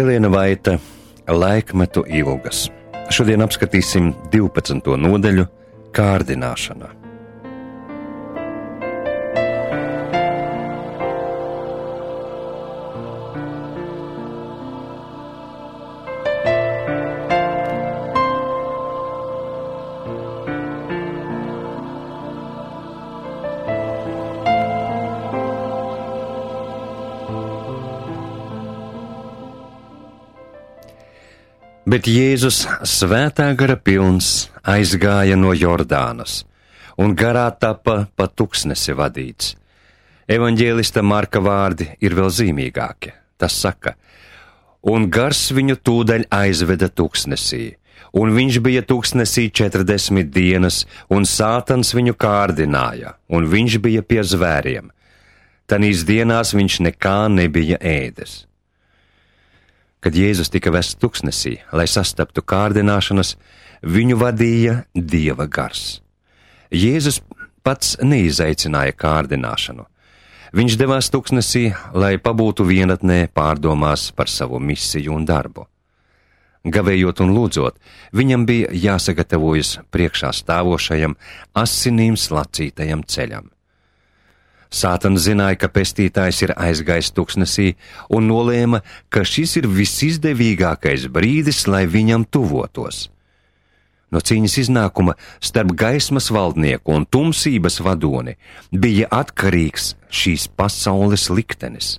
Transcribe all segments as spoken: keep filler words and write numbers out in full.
Helēna Vaita, Laikmetu ilgas. Šodien apskatīsim divpadsmito nodaļu kārdināšana. Bet Jēzus svētā gara pilns aizgāja no Jordānas, un garā tapa pa tuksnesi vadīts. Evaņģēlista Marka vārdi ir vēl zīmīgāki. Tas saka, un gars viņu tūdaļ aizveda tuksnesī, un viņš bija tuksnesī četrdesmit dienas, un sātans viņu kārdināja, un viņš bija pie zvēriem. Tanīs dienās viņš nekā nebija ēdis. Kad Jēzus tika vests tuksnesī, lai sastaptu kārdināšanas, viņu vadīja Dieva gars. Jēzus pats neizaicināja kārdināšanu. Viņš devās tuksnesī, lai pabūtu vienatnē pārdomās par savu misiju un darbu. Gavējot un lūdzot, viņam bija jāsagatavojas priekšā stāvošajam, asinīm slacītajam ceļam. Sātans zināja, ka pestītājs ir aizgājis tuksnesī un nolēma, ka šis ir visizdevīgākais brīdis, lai viņam tuvotos. No cīņas iznākuma starp gaismas valdnieku un tumsības vadoni bija atkarīgs šīs pasaules liktenis.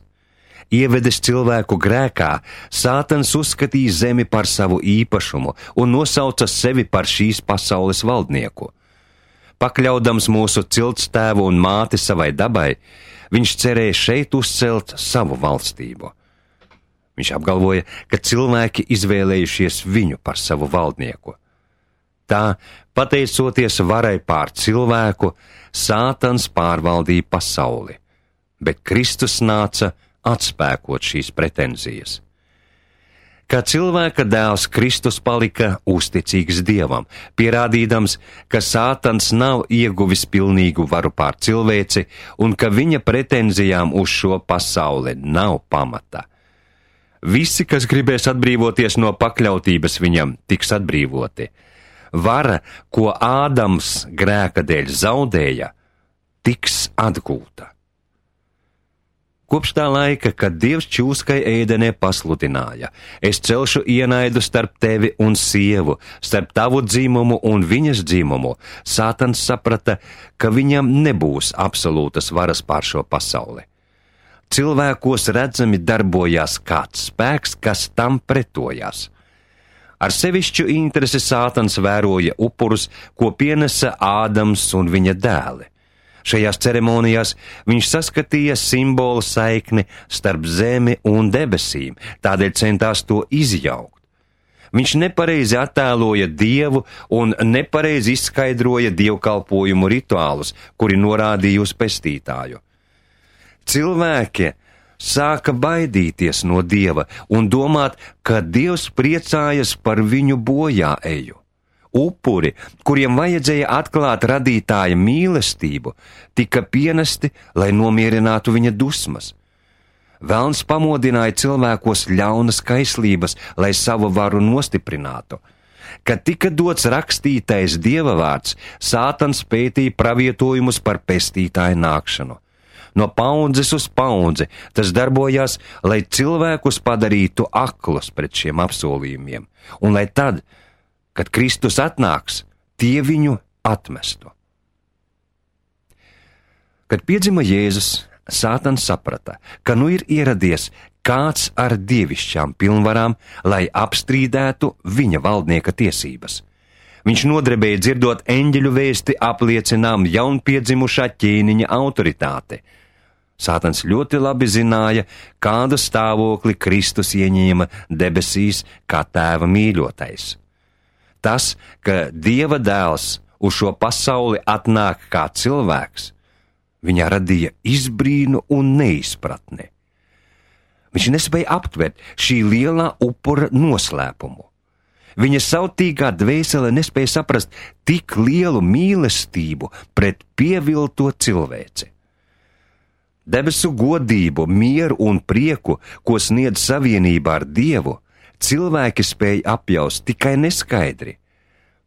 Ievedis cilvēku grēkā, Sātans uzskatīja zemi par savu īpašumu un nosauca sevi par šīs pasaules valdnieku. Pakļaudams mūsu ciltstēvu un māti savai dabai, viņš cerēja šeit uzcelt savu valstību. Viņš apgalvoja, ka cilvēki izvēlējušies viņu par savu valdnieku. Tā, pateicoties varai pār cilvēku, Sātans pārvaldīja pasauli, bet Kristus nāca atspēkot šīs pretenzijas. Kā cilvēka dēls, Kristus palika uzticīgs Dievam, pierādīdams, ka Sātans nav ieguvis pilnīgu varu pār cilvēci un ka viņa pretenzijām uz šo pasauli nav pamata. Visi, kas gribēs atbrīvoties no pakļautības viņam, tiks atbrīvoti. Vara, ko Ādams grēka dēļ zaudēja, tiks atgūta. Kopš tā laika, kad Dievs čūskai ēdenē pasludināja, es celšu ienaidu starp tevi un sievu, starp tavu dzimumu un viņas dzimumu, Sātans saprata, ka viņam nebūs absolūtas varas pār šo pasauli. Cilvēkos redzami darbojās kāds spēks, kas tam pretojās. Ar sevišķu interesi Sātans vēroja upurus, ko pienesa Ādams un viņa dēli. Šajās ceremonijās viņš saskatīja simbolu saikni starp zemi un debesīm, tādēļ centās to izjaukt. Viņš nepareizi attēloja Dievu un nepareizi izskaidroja dievkalpojumu rituālus, kuri norādīja uz pestītāju. Cilvēki sāka baidīties no Dieva un domāt, ka Dievs priecājas par viņu bojāeju. Upuri, kuriem vajadzēja atklāt radītāja mīlestību, tika pienesti, lai nomierinātu viņa dusmas. Velns pamodināja cilvēkos ļaunas kaislības, lai savu varu nostiprinātu. Kad tika dots rakstītais Dieva vārds, Sātans pētīja pravietojumus par pestītāju nākšanu. No paudzes uz paudzi tas darbojās, lai cilvēkus padarītu aklus pret šiem apsolījumiem, un lai tad, kad Kristus atnāks, tie viņu atmestu. Kad piedzima Jēzus, Sātans saprata, ka nu ir ieradies kāds ar dievišķām pilnvarām, lai apstrīdētu viņa valdnieka tiesības. Viņš nodrebēja dzirdot eņģeļu vēsti apliecinām jaunpiedzimušā ķēniņa autoritāti. Sātans ļoti labi zināja, kādu stāvokli Kristus ieņēma debesīs kā tēva mīļotais. Tas, ka Dieva dēls uz šo pasauli atnāk kā cilvēks, viņā radīja izbrīnu un neizpratni. Viņš nespēja aptvert šī lielā upura noslēpumu. Viņa sautīgā dvēsele nespēja saprast tik lielu mīlestību pret pievilto cilvēci. Debesu godību, mieru un prieku, ko sniedz savienībā ar Dievu, cilvēki spēja apjaust tikai neskaidri.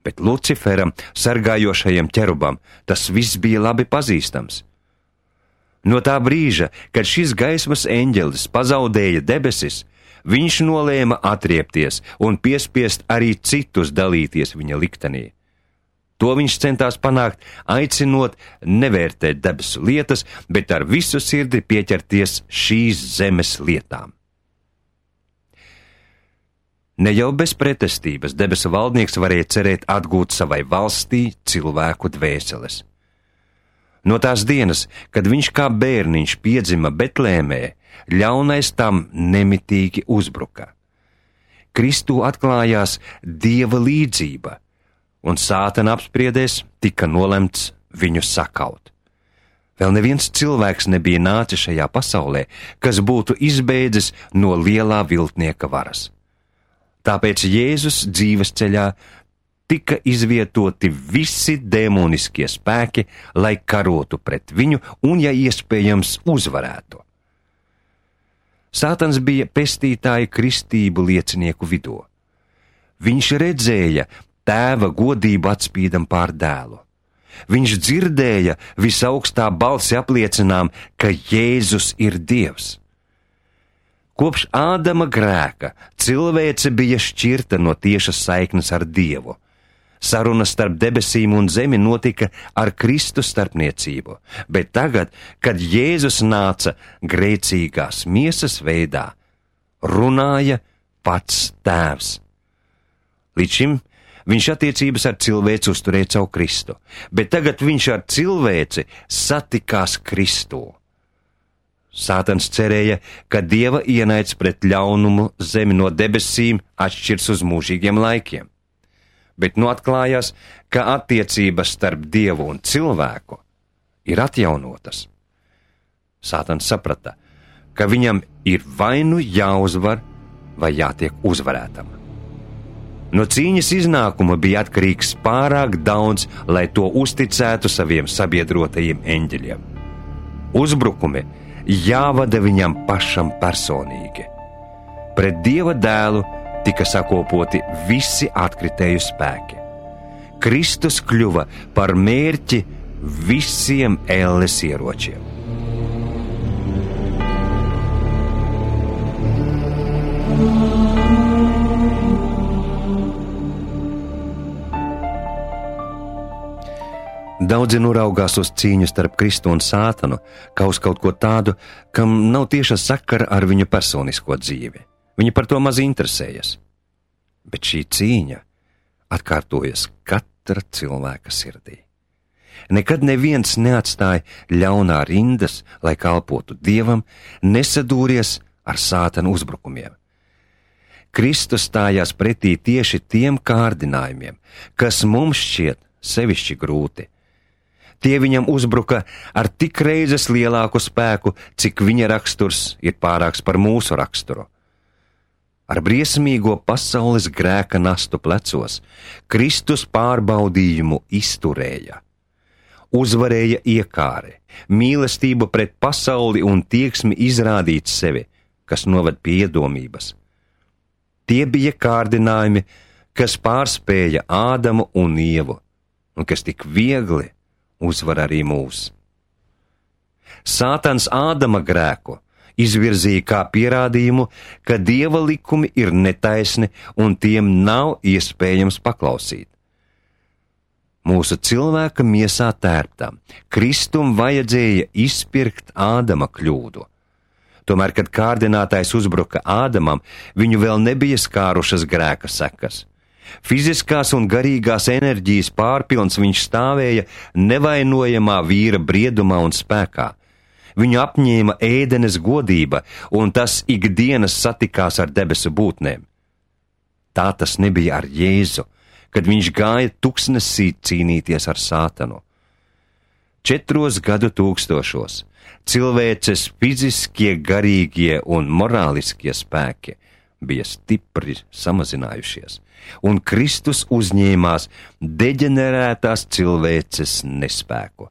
Bet Luciferam, sargājošajam ķerubam, tas viss bija labi pazīstams. No tā brīža, kad šis gaismas eņģelis pazaudēja debesis, viņš nolēma atriepties un piespiest arī citus dalīties viņa liktenī. To viņš centās panākt, aicinot nevērtēt debesu lietas, bet ar visu sirdi pieķerties šīs zemes lietām. Ne jau bez pretestības debesu valdnieks varēja cerēt atgūt savai valstī cilvēku dvēseles. No tās dienas, kad viņš kā bērniņš piedzima Betlēmē, ļaunais tam nemitīgi uzbruka. Kristū atklājās Dieva līdzība, un Sātana apspriedēs tika nolemts viņu sakaut. Vēl neviens cilvēks nebija nācis šajā pasaulē, kas būtu izbeidzis no lielā viltnieka varas. Tāpēc Jēzus dzīves ceļā tika izvietoti visi demoniskie spēki, lai karotu pret viņu un, ja iespējams, uzvarētu. Sātans bija pestītāja kristību liecinieku vidū. Viņš redzēja Tēva godību atspīdam pār dēlu. Viņš dzirdēja visaugstā balsi apliecinām, ka Jēzus ir Dievs. Kopš Ādama grēka cilvēce bija šķirta no tiešas saiknes ar Dievu. Saruna starp debesīm un zemi notika ar Kristu starpniecību, bet tagad, kad Jēzus nāca grēcīgās miesas veidā, runāja pats Tēvs. Līdz šim viņš attiecības ar cilvēci uzturēja caur Kristu, bet tagad viņš ar cilvēci satikās Kristū. Sātans cerēja, ka Dieva ienaids pret ļaunumu zemi no debesīm atšķirs uz mūžīgiem laikiem. Bet nu atklājās, ka attiecības starp Dievu un cilvēku ir atjaunotas. Sātans saprata, ka viņam ir vai nu jāuzvar, vai jātiek uzvarētam. No cīņas iznākuma bija atkarīgs pārāk daudz, lai to uzticētu saviem sabiedrotajiem eņģeļiem. Uzbrukumi jāvada viņam pašam personīgi. Pret Dieva dēlu tika sakopoti visi atkritēju spēki. Kristus kļuva par mērķi visiem elles ieročiem. Daudzi noraugās uz cīņu starp Kristu un Sātanu, kā uz kaut ko tādu, kam nav tieša sakara ar viņu personisko dzīvi. Viņi par to maz interesējas. Bet šī cīņa atkārtojas katra cilvēka sirdī. Nekad neviens neatstāja ļaunā rindas, lai kalpotu Dievam, nesadūries ar Sātana uzbrukumiem. Kristus stājās pretī tieši tiem kārdinājumiem, kas mums šķiet sevišķi grūti. Tie viņam uzbruka ar tik reizes lielāku spēku, cik viņa raksturs ir pārāks par mūsu raksturu. Ar briesmīgo pasaules grēka nastu plecos Kristus pārbaudījumu izturēja. Uzvarēja iekāre, mīlestību pret pasauli un tieksmi izrādīt sevi, kas noved pie iedomības. Tie bija kārdinājumi, kas pārspēja Ādamu un Ievu, un kas tik viegli uzvar arī mūs. Sātans Ādama grēku izvirzīja kā pierādījumu, ka Dieva likumi ir netaisni un tiem nav iespējams paklausīt. Mūsu cilvēka miesā tērptam Kristum vajadzēja izpirkt Ādama kļūdu. Tomēr, kad kārdinātājs uzbruka Ādamam, viņu vēl nebija skārušas grēka sekas. Fiziskās un garīgās enerģijas pārpilns viņš stāvēja nevainojamā vīra briedumā un spēkā. Viņu apņēma ēdenes godība, un tas ikdienas satikās ar debesu būtnēm. Tā tas nebija ar Jēzu, kad viņš gāja tuksnesī cīnīties ar Sātanu. Četros gadu tūkstošos cilvēces fiziskie, garīgie un morāliskie spēki bija stipri samazinājušies, un Kristus uzņēmās deģenerētās cilvēces nespēku.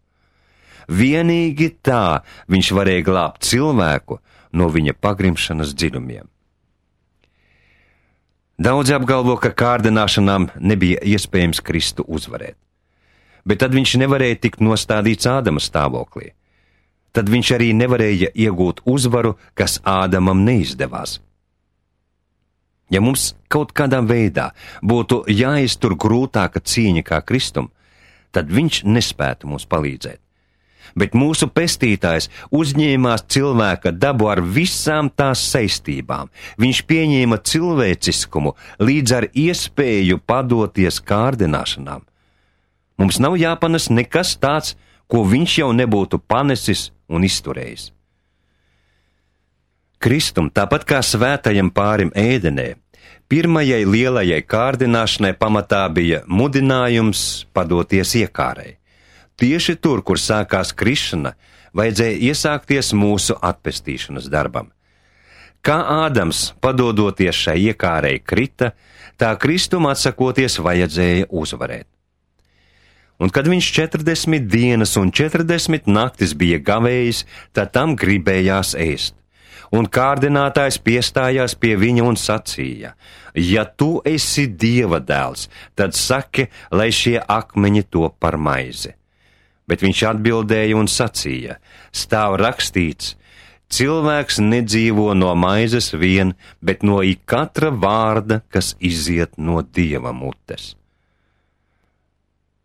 Vienīgi tā viņš varēja glābt cilvēku no viņa pagrimšanas dziļumiem. Daudzi apgalvo, ka kārdināšanām nebija iespējams Kristu uzvarēt, bet tad viņš nevarēja tikt nostādīts Ādama stāvoklī. Tad viņš arī nevarēja iegūt uzvaru, kas Ādamam neizdevās. Ja mums kaut kādā veidā būtu jāiztur grūtāka cīņa kā Kristum, tad viņš nespētu mums palīdzēt. Bet mūsu pestītājs uzņēmās cilvēka dabu ar visām tās saistībām. Viņš pieņēma cilvēciskumu līdz ar iespēju padoties kārdināšanām. Mums nav jāpanes nekas tāds, ko viņš jau nebūtu panesis un izturējis. Kristum, tāpat kā svētajam pārim ēdenē, pirmajai lielajai kārdināšanai pamatā bija mudinājums padoties iekārai. Tieši tur, kur sākās krišana, vajadzēja iesākties mūsu atpestīšanas darbam. Kā Ādams, padodoties šai iekārei, krita, tā Kristum atsakoties vajadzēja uzvarēt. Un kad viņš četrdesmit dienas un četrdesmit naktis bija gavējis, tad tam gribējās ēst. Un kārdinātājs piestājās pie viņa un sacīja: ja tu esi Dieva dēls, tad saki, lai šie akmeņi top par maizi. Bet viņš atbildēja un sacīja: stāv rakstīts, cilvēks nedzīvo no maizes vien, bet no ik katra vārda, kas iziet no Dieva mutes.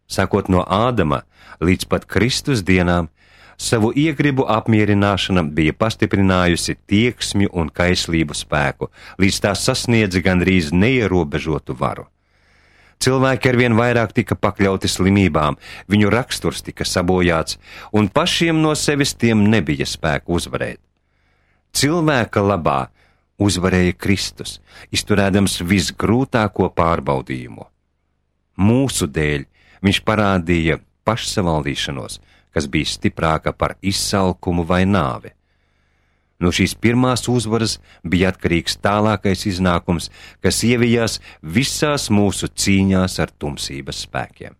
Sākot no Ādama līdz pat Kristus dienām, savu iegribu apmierināšana bija pastiprinājusi tieksmju un kaislību spēku, līdz tā sasniedza gandrīz neierobežotu varu. Cilvēki arvien vairāk tika pakļauti slimībām, viņu raksturs tika sabojāts, un pašiem no sevis tiem nebija spēku uzvarēt. Cilvēka labā uzvarēja Kristus, izturēdams visgrūtāko pārbaudījumu. Mūsu dēļ viņš parādīja pašsavaldīšanos, kas bija stiprāka par izsalkumu vai nāvi. No šīs pirmās uzvaras bija atkarīgs tālākais iznākums, kas ievijās visās mūsu cīņās ar tumsības spēkiem.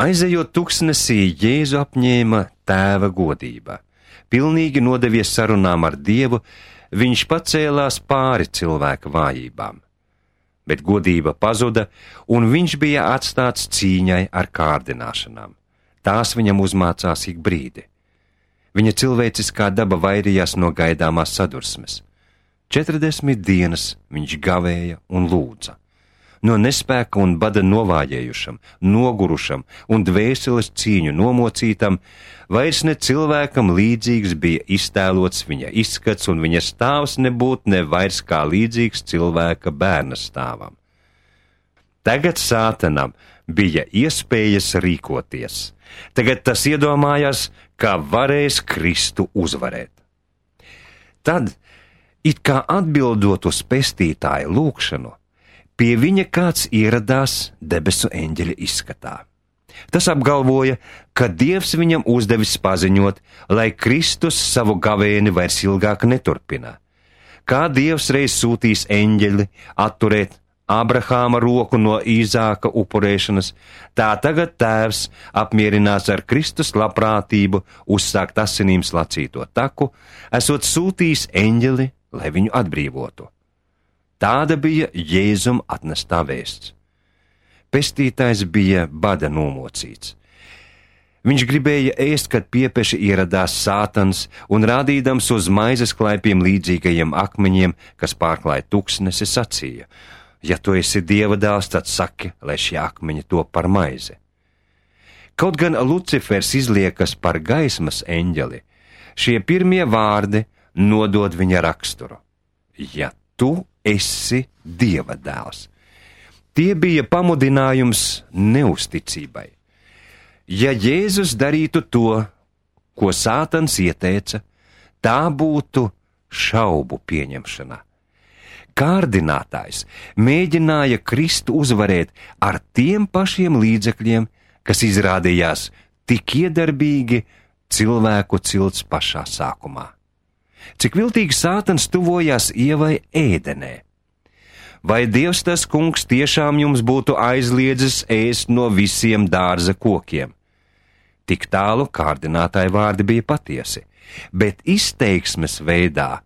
Aizejot tuksnesī, Jēzu apņēma Tēva godība. Pilnīgi nodevies sarunām ar Dievu, viņš pacēlās pāri cilvēka vājībām. Bet godība pazuda, un viņš bija atstāts cīņai ar kārdināšanām. Tās viņam uzmācās ik brīdi. Viņa cilvēciskā daba vairījās no gaidāmās sadursmes. Četrdesmit dienas viņš gavēja un lūdza. No nespēka un bada novājējušam, nogurušam un dvēseles cīņu nomocītam, vairs ne cilvēkam līdzīgs bija iztēlots viņa izskats, un viņa stāvs nebūtu ne vairs kā līdzīgs cilvēka bērna stāvam. Tagad Sātanam bija iespējas rīkoties. Tagad tas iedomājās, kā varēs Kristu uzvarēt. Tad, it kā atbildot uz pestītāja lūgšanu, pie viņa kāds ieradās debesu eņģeļa izskatā. Tas apgalvoja, ka Dievs viņam uzdevis paziņot, lai Kristus savu gavēni vairs ilgāk neturpina. Kā Dievs reiz sūtīs eņģeli atturēt Abrahāma roku no Īzāka upurēšanas, tā tagad Tēvs apmierinās ar Kristus labprātību uzsākt asinīm slacīto taku, esot sūtījis eņģeli, lai viņu atbrīvotu. Tāda bija Jēzum atnestā vēsts. Pestītājs bija bada nomocīts. Viņš gribēja ēst, kad piepeši ieradās Sātans un rādīdams uz maizes klaipiem līdzīgajiem akmeņiem, kas pārklāja tuksnesi, sacīja: ja tu esi Dieva dēls, tad saki, lai šie akmeņi top par maizi. Kaut gan Lucifers izliekas par gaismas eņģeli, šie pirmie vārdi nodod viņa raksturu: ja tu esi Dieva dēls. Tie bija pamudinājums neusticībai. Ja Jēzus darītu to, ko Sātans ieteica, tā būtu šaubu pieņemšana. Kārdinātājs mēģināja Kristu uzvarēt ar tiem pašiem līdzekļiem, kas izrādījās tik iedarbīgi cilvēku cilts pašā sākumā. Cik viltīgi Sātans tuvojās Ievai ēdenē. Vai Dievs tas kungs tiešām jums būtu aizliedzis ēst no visiem dārza kokiem? Tik tālu kārdinātāja vārdi bija patiesi, bet izteiksmes veidā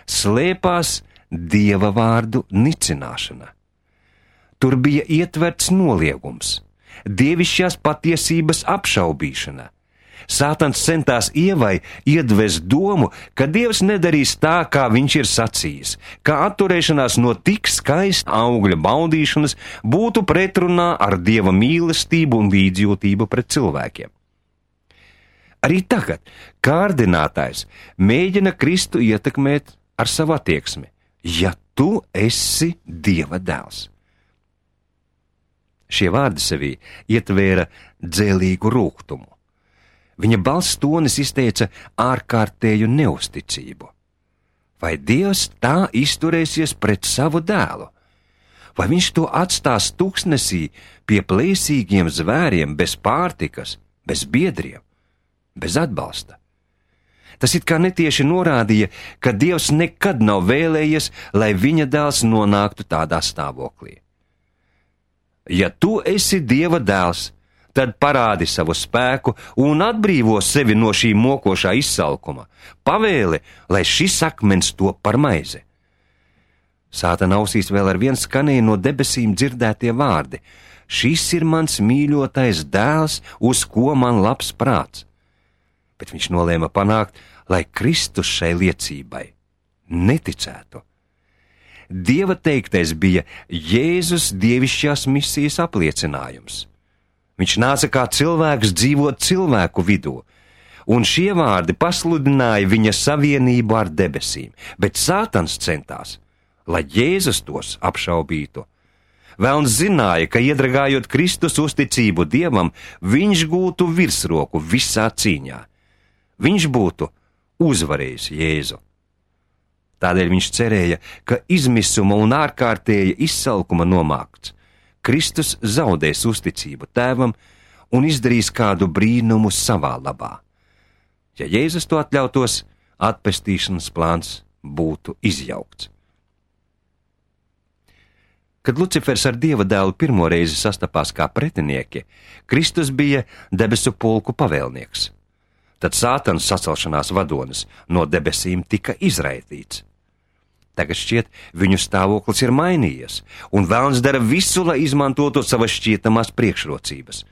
slēpās Dieva vārdu nicināšana. Tur bija ietverts noliegums, dievišķās patiesības apšaubīšana. Sātans centās Ievai iedvest domu, ka Dievs nedarīs tā, kā viņš ir sacījis, ka atturēšanās no tik skaista augļa baudīšanas būtu pretrunā ar Dieva mīlestību un līdzjūtību pret cilvēkiem. Arī tagad kārdinātājs mēģina Kristu ietekmēt ar savu attieksmi, ja tu esi Dieva dēls. Šie vārdi sevī ietvēra dzēlīgu rūgtumu. Viņa balss tonis izteica ārkārtēju neusticību. Vai Dievs tā izturēsies pret savu dēlu? Vai viņš to atstās tuksnesī pie plēsīgiem zvēriem, bez pārtikas, bez biedriem, bez atbalsta? Tas it kā netieši norādīja, ka Dievs nekad nav vēlējies, lai viņa dēls nonāktu tādā stāvoklī. Ja tu esi Dieva dēls, tad parādi savu spēku un atbrīvo sevi no šī mokošā izsalkuma. Pavēli, lai šis akmens top par maizi. Sātana ausīs vēl ar vien skanēja no debesīm dzirdētie vārdi. Šis ir mans mīļotais dēls, uz ko man labs prāts. Bet viņš nolēma panākt, lai Kristus šai liecībai neticētu. Dieva teiktais bija Jēzus dievišķās misijas apliecinājums. Viņš nāca kā cilvēks dzīvot cilvēku vidū, un šie vārdi pasludināja viņa savienību ar debesīm, bet Sātans centās, lai Jēzus tos apšaubītu. Velns zināja, ka iedragājot Kristus uzticību Dievam, viņš gūtu virsroku visā cīņā. Viņš būtu uzvarējis Jēzu. Tādēļ viņš cerēja, ka izmisuma un ārkārtēja izsalkuma nomākts, Kristus zaudēs uzticību Tēvam un izdarīs kādu brīnumu savā labā. Ja Jēzus to atļautos, atpestīšanas plāns būtu izjaukts. Kad Lucifers ar Dieva dēlu pirmo reizi sastapās kā pretinieki, Kristus bija debesu pulku pavēlnieks. Tad Sātans sacelšanās vadonis no debesīm tika izraitīts. Tagad šķiet, viņu stāvoklis ir mainījies, un velns dara visu, lai izmantotu savas šķietamās priekšrocības.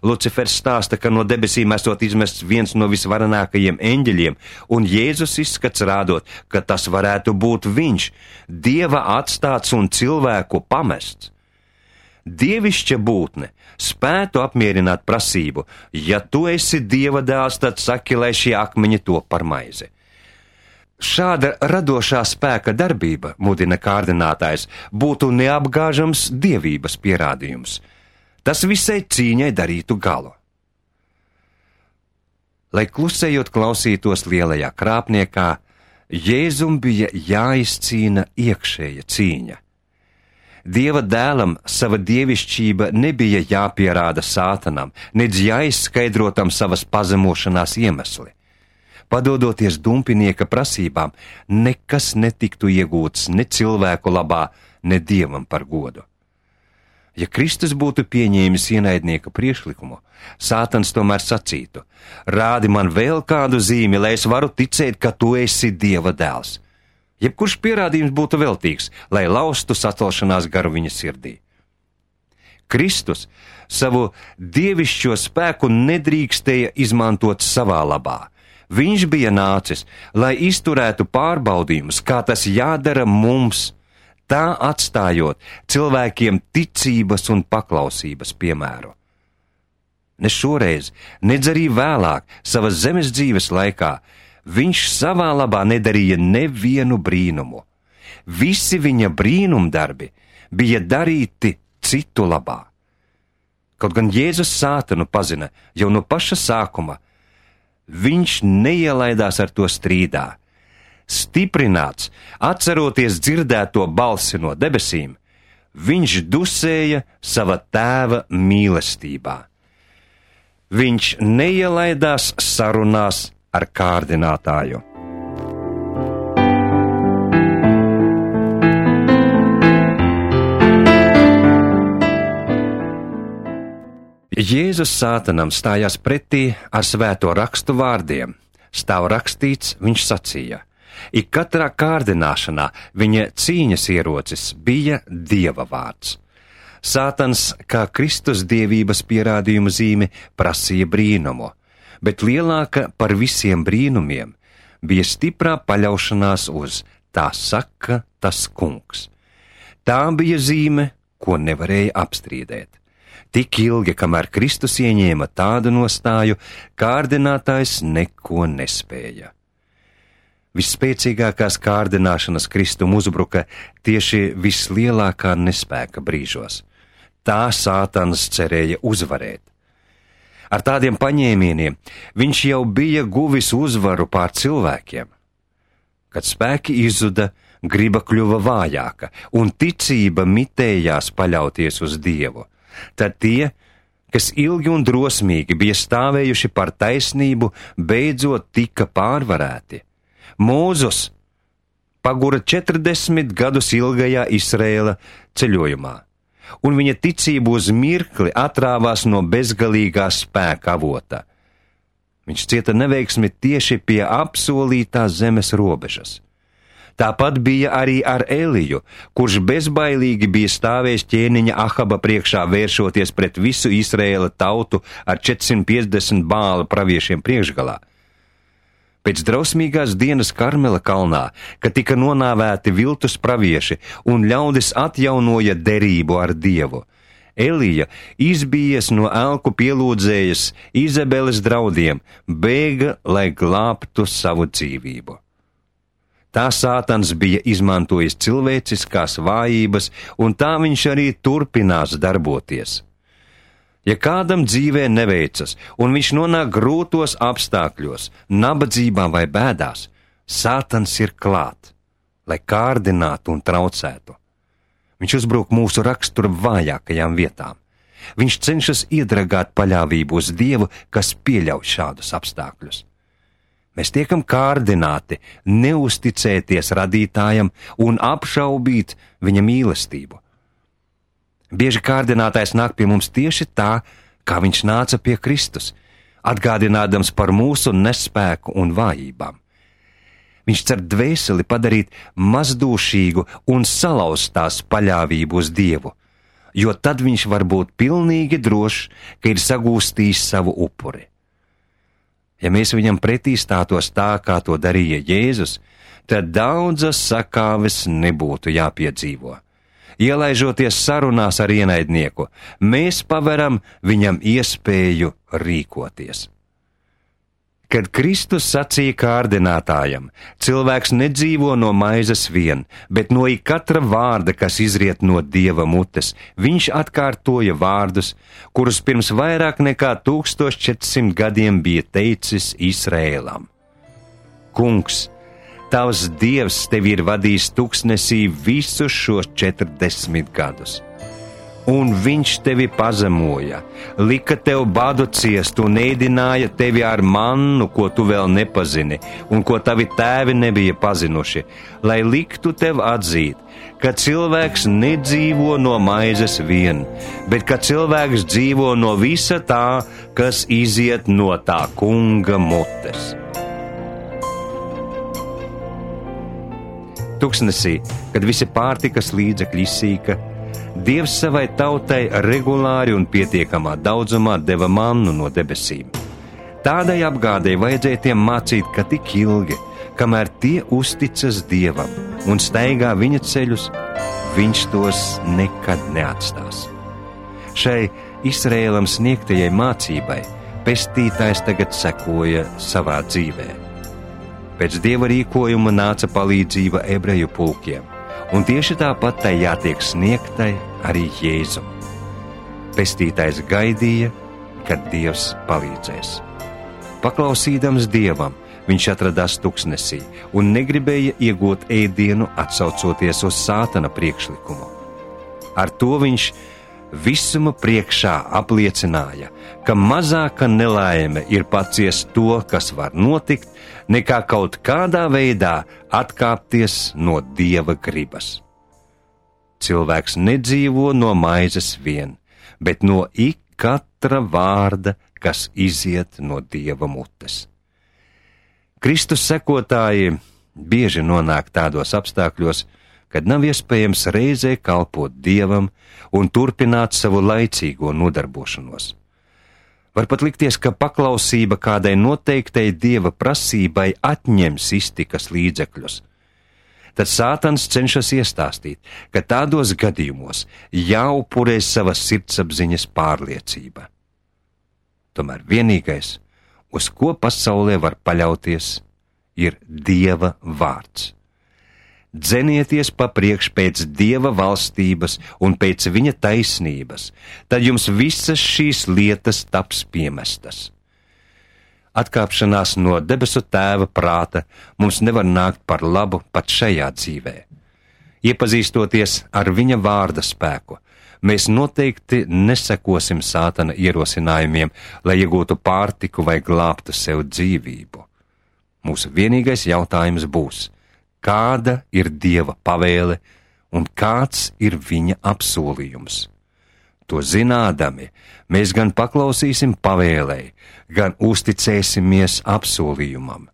Lucifers stāsta, ka no debesīm esot izmests viens no visvarenākajiem eņģeļiem, un Jēzus izskats rādot, ka tas varētu būt viņš, Dieva atstāts un cilvēku pamests. Dievišķa būtne spētu apmierināt prasību, ja tu esi Dieva dēls, tad saki, lai šie akmeņi top par maizi. Šāda radošā spēka darbība, mudina kārdinātājs, būtu neapgāžams dievības pierādījums. Tas visai cīņai darītu galu. Lai klusējot klausītos lielajā krāpniekā, Jēzum bija jāizcīna iekšēja cīņa. Dieva dēlam sava dievišķība nebija jāpierāda Sātanam, nedz jāizskaidrotam savas pazemošanās iemesli. Padodoties dumpinieka prasībām, nekas netiktu iegūts ne cilvēku labā, ne Dievam par godu. Ja Kristus būtu pieņēmis ienaidnieka priekšlikumu, Sātans tomēr sacītu: rādi man vēl kādu zīmi, lai es varu ticēt, ka tu esi Dieva dēls. Jebkurš pierādījums būtu veltīgs, lai laustu sacelšanās garu viņa sirdī. Kristus savu dievišķo spēku nedrīkstēja izmantot savā labā. Viņš bija nācis, lai izturētu pārbaudījumus, kā tas jādara mums, tā atstājot cilvēkiem ticības un paklausības piemēru. Ne šoreiz, nedz arī vēlāk, savas zemes dzīves laikā, viņš savā labā nedarīja nevienu brīnumu. Visi viņa brīnumdarbi bija darīti citu labā. Kaut gan Jēzus Sātanu pazina jau no paša sākuma, viņš neielaidās ar to strīdā. Stiprināts, atceroties dzirdēto balsi no debesīm, viņš dusēja sava tēva mīlestībā. Viņš neielaidās sarunās ar kārdinātāju. Jēzus Sātanam stājās pretī ar svēto rakstu vārdiem. Stāv rakstīts, viņš sacīja. Ik katrā kārdināšanā viņa cīņas ierocis bija Dieva vārds. Sātans, kā Kristus dievības pierādījuma zīme, prasīja brīnumu, bet lielāka par visiem brīnumiem bija stiprā paļaušanās uz tā saka tas kungs. Tā bija zīme, ko nevarēja apstrīdēt. Tik ilgi, kamēr Kristus ieņēma tādu nostāju, kārdinātājs neko nespēja. Visspēcīgākās kārdināšanas Kristum uzbruka tieši vislielākā nespēka brīžos. Tā Sātans cerēja uzvarēt. Ar tādiem paņēmieniem viņš jau bija guvis uzvaru pār cilvēkiem. Kad spēki izzuda, griba kļuva vājāka un ticība mitējās paļauties uz Dievu. Tad tie, kas ilgi un drosmīgi bija stāvējuši par taisnību, beidzot tika pārvarēti. Mūzus pagura četrdesmit gadus ilgajā Izraēla ceļojumā, un viņa ticība uz mirkli atrāvās no bezgalīgā spēka avota. Viņš cieta neveiksmi tieši pie apsolītās zemes robežas. Tāpat bija arī ar Eliju, kurš bezbailīgi bija stāvējis ķēniņa Ahaba priekšā, vēršoties pret visu Izraēla tautu ar četrsimt piecdesmit Bāla praviešiem priekšgalā. Pēc drausmīgās dienas Karmela kalnā, kad tika nonāvēti viltus pravieši un ļaudis atjaunoja derību ar Dievu, Elija, izbijies no elku pielūdzējas Izabeles draudiem, bēga, lai glābtu savu dzīvību. Tā Sātans bija izmantojis cilvēciskās vājības, un tā viņš arī turpinās darboties. Ja kādam dzīvē neveicas, un viņš nonāk grūtos apstākļos, nabadzībā vai bēdās, Sātans ir klāt, lai kārdinātu un traucētu. Viņš uzbruk mūsu rakstura vājākajām vietām. Viņš cenšas iedragāt paļāvību uz Dievu, kas pieļauj šādus apstākļus. Mēs tiekam kārdināti neusticēties radītājam un apšaubīt viņa mīlestību. Bieži kārdinātājs nāk pie mums tieši tā, kā viņš nāca pie Kristus, atgādinādams par mūsu nespēku un vājībām. Viņš cer dvēseli padarīt mazdūšīgu un salauzt tās paļāvību uz Dievu, jo tad viņš var būt pilnīgi drošs, ka ir sagūstījis savu upuri. Ja mēs viņam pretī stātos tā, kā to darīja Jēzus, tad daudzas sakāves nebūtu jāpiedzīvo. Ielaižoties sarunās ar ienaidnieku, mēs paveram viņam iespēju rīkoties. Kad Kristus sacīja kārdinātājam, cilvēks nedzīvo no maizes vien, bet no ikatra vārda, kas izriet no Dieva mutes, viņš atkārtoja vārdus, kurus pirms vairāk nekā tūkstoš četrsimt gadiem bija teicis Izraēlam. Kungs, tavs Dievs tevi ir vadījis tuksnesī visus šos četrdesmit gadus. Un viņš tevi pazemoja, lika tev badu ciest un ēdināja tevi ar mannu, ko tu vēl nepazini, un ko tavi tēvi nebija pazinuši, lai liktu tev atzīt, ka cilvēks nedzīvo no maizes vien, bet ka cilvēks dzīvo no visa tā, kas iziet no tā kunga mutes. Tuksnesī, kad visi pārtikas līdzekļi izsīka, Dievs savai tautai regulāri un pietiekamā daudzumā deva mannu no debesīm. Tādai apgādei vajadzēja tiem mācīt, ka tik ilgi, kamēr tie uzticas Dievam un staigā viņa ceļus, viņš tos nekad neatstās. Šai Izraēlam sniegtajai mācībai pestītājs tagad sekoja savā dzīvē. Pēc Dieva rīkojuma nāca palīdzība ebreju pulkiem, un tieši tāpat tai jātiek sniegtai arī Jēzum. Pestītājs gaidīja, kad Dievs palīdzēs. Paklausīdams Dievam, viņš atradās tuksnesī un negribēja iegūt ēdienu, atsaucoties uz Sātana priekšlikumu. Ar to viņš visuma priekšā apliecināja, ka mazāka nelaime ir paciest to, kas var notikt, nekā kaut kādā veidā atkāpties no Dieva gribas. Cilvēks nedzīvo no maizes vien, bet no ik katra vārda, kas iziet no Dieva mutes. Kristus sekotāji bieži nonāk tādos apstākļos, kad nav iespējams reizē kalpot Dievam un turpināt savu laicīgo nodarbošanos. Var pat likties, ka paklausība kādai noteiktai Dieva prasībai atņems iztikas līdzekļus. Tad Sātans cenšas iestāstīt, ka tādos gadījumos jāupurē sava sirdsapziņas pārliecība. Tomēr vienīgais, uz ko pasaulē var paļauties, ir Dieva vārds. Dzenieties papriekš pēc Dieva valstības un pēc viņa taisnības, tad jums visas šīs lietas taps piemestas. Atkāpšanās no debesu Tēva prāta mums nevar nākt par labu pat šajā dzīvē. Iepazīstoties ar viņa vārda spēku, mēs noteikti nesekosim Sātana ierosinājumiem, lai iegūtu pārtiku vai glābtu sev dzīvību. Mūsu vienīgais jautājums būs, kāda ir Dieva pavēle un kāds ir viņa apsolījums. To zinādami, mēs gan paklausīsim pavēlei, gan uzticēsimies apsolījumam.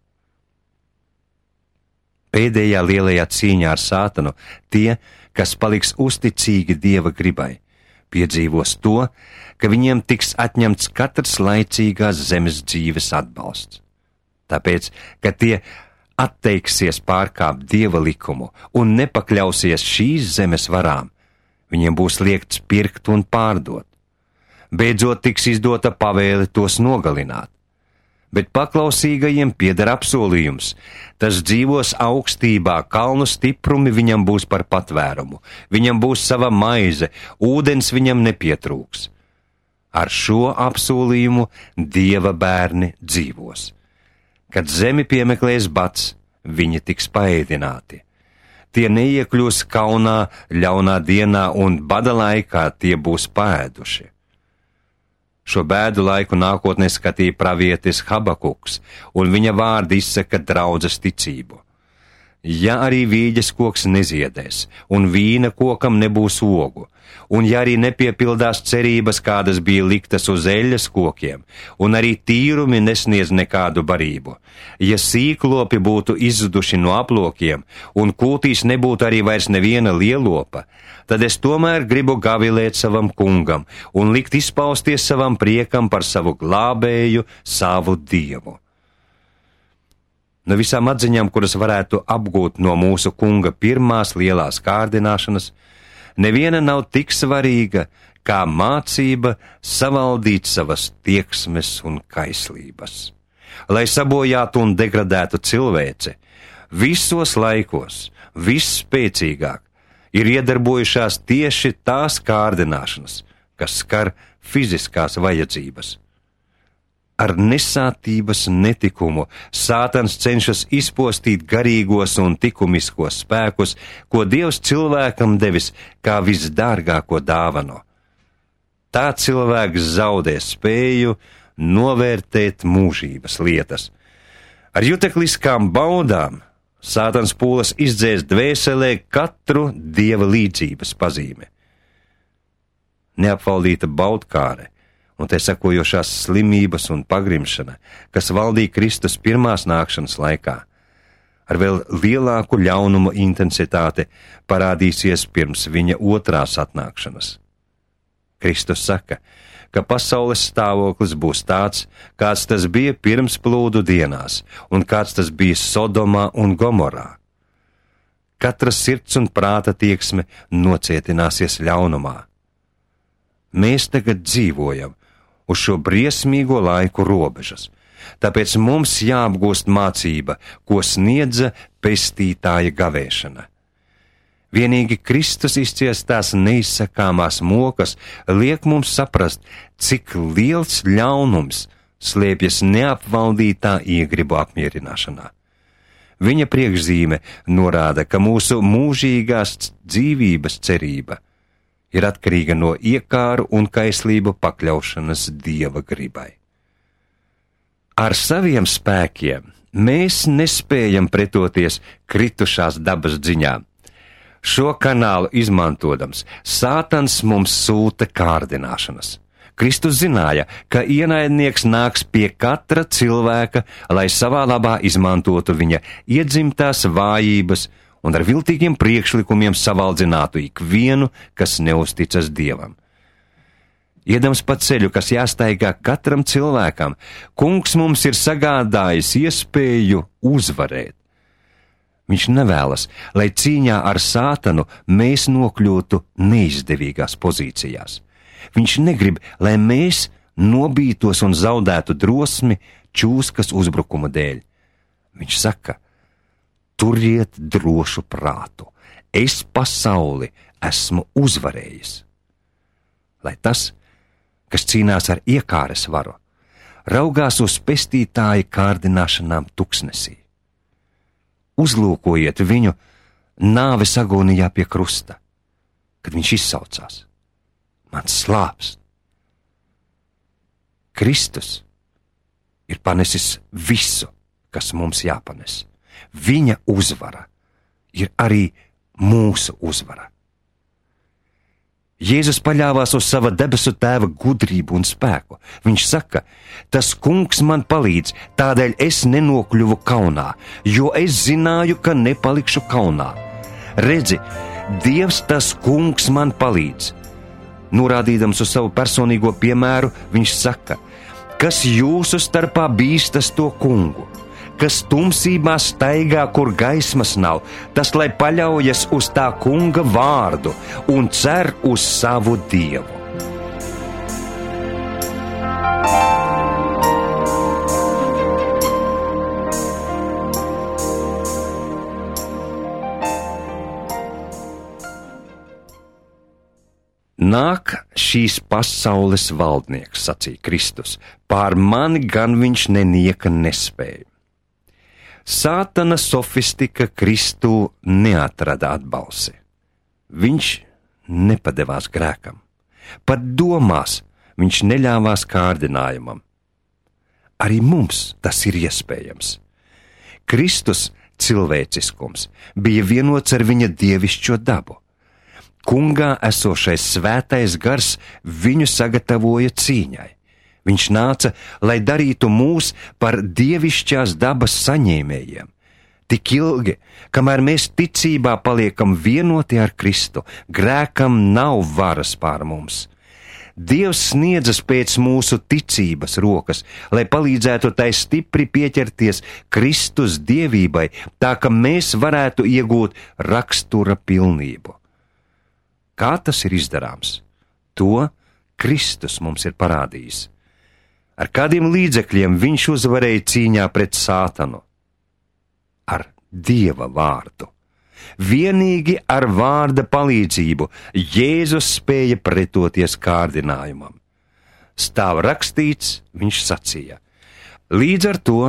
Pēdējā lielajā cīņā ar Sātanu tie, kas paliks uzticīgi Dieva gribai, piedzīvos to, ka viņiem tiks atņemts katrs laicīgās zemes dzīves atbalsts. Tāpēc, ka tie atteiksies pārkāpt Dieva likumu un nepakļausies šīs zemes varām, viņiem būs liekts pirkt un pārdot. Beidzot tiks izdota pavēle tos nogalināt. Bet paklausīgajiem pieder apsolījums. Tas dzīvos augstībā, kalnu stiprumi viņam būs par patvērumu, viņam būs sava maize, ūdens viņam nepietrūks. Ar šo apsolījumu Dieva bērni dzīvos. Kad zemi piemeklēs bats, viņi tiks paēdināti. Tie neiekļūs kaunā, ļaunā dienā un bada laikā tie būs paēduši. Šo bēdu laiku nākotnē skatīja pravietis Habakuks, un viņa vārdi izsaka draudzes ticību. Ja arī vīģes koks neziedēs, un vīna kokam nebūs ogu, un ja arī nepiepildās cerības, kādas bija liktas uz eļļas kokiem, un arī tīrumi nesniedz nekādu barību, ja sīklopi būtu izzuduši no aplokiem, un kūtīs nebūtu arī vairs neviena lielopa, tad es tomēr gribu gavilēt savam kungam un likt izpausties savam priekam par savu glābēju, savu Dievu. No visām atziņām, kuras varētu apgūt no mūsu kunga pirmās lielās kārdināšanas, neviena nav tik svarīga, kā mācība savaldīt savas tieksmes un kaislības. Lai sabojātu un degradētu cilvēci, visos laikos, visspēcīgāk, ir iedarbojušās tieši tās kārdināšanas, kas skar fiziskās vajadzības. Ar nesātības netikumu Sātans cenšas izpostīt garīgos un likumiskos spēkus, ko Dievs cilvēkam devis kā visdārgāko dāvanu. Tā cilvēks zaudē spēju novērtēt mūžības lietas. Ar jutekliskām baudām Sātans pūlas izdzēs dvēselē katru Dieva līdzības pazīmi. Neapvaldīta baudkāre un te sekojošās slimības un pagrimšana, kas valdīja Kristus pirmās nākšanas laikā, ar vēl lielāku ļaunumu intensitāti parādīsies pirms viņa otrās atnākšanas. Kristus saka, ka pasaules stāvoklis būs tāds, kāds tas bija pirms plūdu dienās, un kāds tas bija Sodomā un Gomorā. Katra sirds un prāta tieksme nocietināsies ļaunumā. Mēs tagad dzīvojam uz šo briesmīgo laiku robežas, tāpēc mums jāapgūst mācība, ko sniedza pestītāja gavēšana. Vienīgi Kristus izciestās neizsakāmās mokas liek mums saprast, cik liels ļaunums slēpjas neapvaldītā iegribu apmierināšanā. Viņa priekšzīme norāda, ka mūsu mūžīgās dzīvības cerība ir atkarīga no iekāru un kaislību pakļaušanas Dieva gribai. Ar saviem spēkiem mēs nespējam pretoties kritušās dabas dziņām. Šo kanālu izmantodams, Sātans mums sūta kārdināšanas. Kristus zināja, ka ienaidnieks nāks pie katra cilvēka, lai savā labā izmantotu viņa iedzimtās vājības un ar viltīgiem priekšlikumiem savaldzinātu ikvienu, kas neusticas Dievam. Iedams pa ceļu, kas jāstaigā katram cilvēkam, Kungs mums ir sagādājis iespēju uzvarēt. Viņš nevēlas, lai cīņā ar Sātanu mēs nokļūtu neizdevīgās pozīcijās. Viņš negrib, lai mēs nobītos un zaudētu drosmi čūskas uzbrukuma dēļ. Viņš saka: turiet drošu prātu, es pasauli esmu uzvarējis. Lai tas, kas cīnās ar iekāres varu, raugās uz pestītāja kārdināšanām tuksnesī. Uzlūkojiet viņu nāves agonijā pie krusta, kad viņš izsaucās: mans slāpst. Kristus ir panesis visu, kas mums jāpanes. Viņa uzvara ir arī mūsu uzvara. Jēzus paļāvās uz sava debesu tēva gudrību un spēku. Viņš saka: tas Kungs man palīdz, tādēļ es nenokļuvu kaunā, jo es zināju, ka nepalikšu kaunā. Redzi, Dievs tas Kungs man palīdz. Norādīdams uz savu personīgo piemēru, viņš saka: kas jūsu starpā bīstas to Kungu, kas tumsībā staigā, kur gaismas nav, tas lai paļaujas uz tā Kunga vārdu un cer uz savu Dievu. Nāk šīs pasaules valdnieks, sacīja Kristus, pār mani gan viņš nenieka nespēja. Sātana sofistika Kristū neatrada atbalsi. Viņš nepadevās grēkam. Pat domās viņš neļāvās kārdinājumam. Arī mums tas ir iespējams. Kristus cilvēciskums bija vienots ar viņa dievišķo dabu. Kungā esošais svētais gars viņu sagatavoja cīņai. Viņš nāca, lai darītu mūs par dievišķās dabas saņēmējiem. Tik ilgi, kamēr mēs ticībā paliekam vienoti ar Kristu, grēkam nav varas pār mums. Dievs sniedzas pēc mūsu ticības rokas, lai palīdzētu tai stipri pieķerties Kristus dievībai, tā ka mēs varētu iegūt rakstura pilnību. Kā tas ir izdarāms? To Kristus mums ir parādījis. Ar kādiem līdzekļiem viņš uzvarēja cīņā pret Sātanu? Ar Dieva vārdu. Vienīgi ar vārda palīdzību Jēzus spēja pretoties kārdinājumam. Stāv rakstīts, viņš sacīja: līdz ar to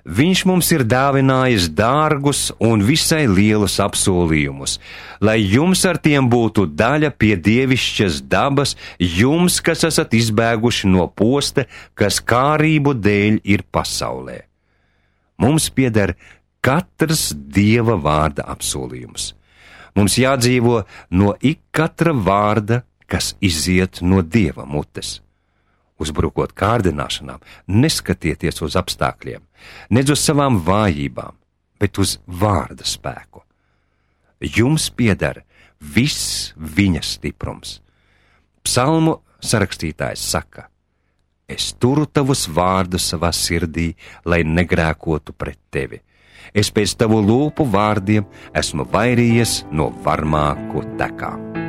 viņš mums ir dāvinājis dārgus un visai lielus apsolījumus, lai jums ar tiem būtu daļa pie dievišķas dabas, jums, kas esat izbēguši no posta, kas kārību dēļ ir pasaulē. Mums pieder katrs Dieva vārda apsolījums. Mums jādzīvo no ik katra vārda, kas iziet no Dieva mutes. Uzbrukot kārdināšanām, neskatieties uz apstākļiem, nedz uz savām vājībām, bet uz vārda spēku. Jums pieder viss viņa stiprums. Psalmu sarakstītājs saka: es turu tavus vārdus savā sirdī, lai negrēkotu pret tevi. Es pēc tavu lūpu vārdiem esmu vairījies no varmāku tekām.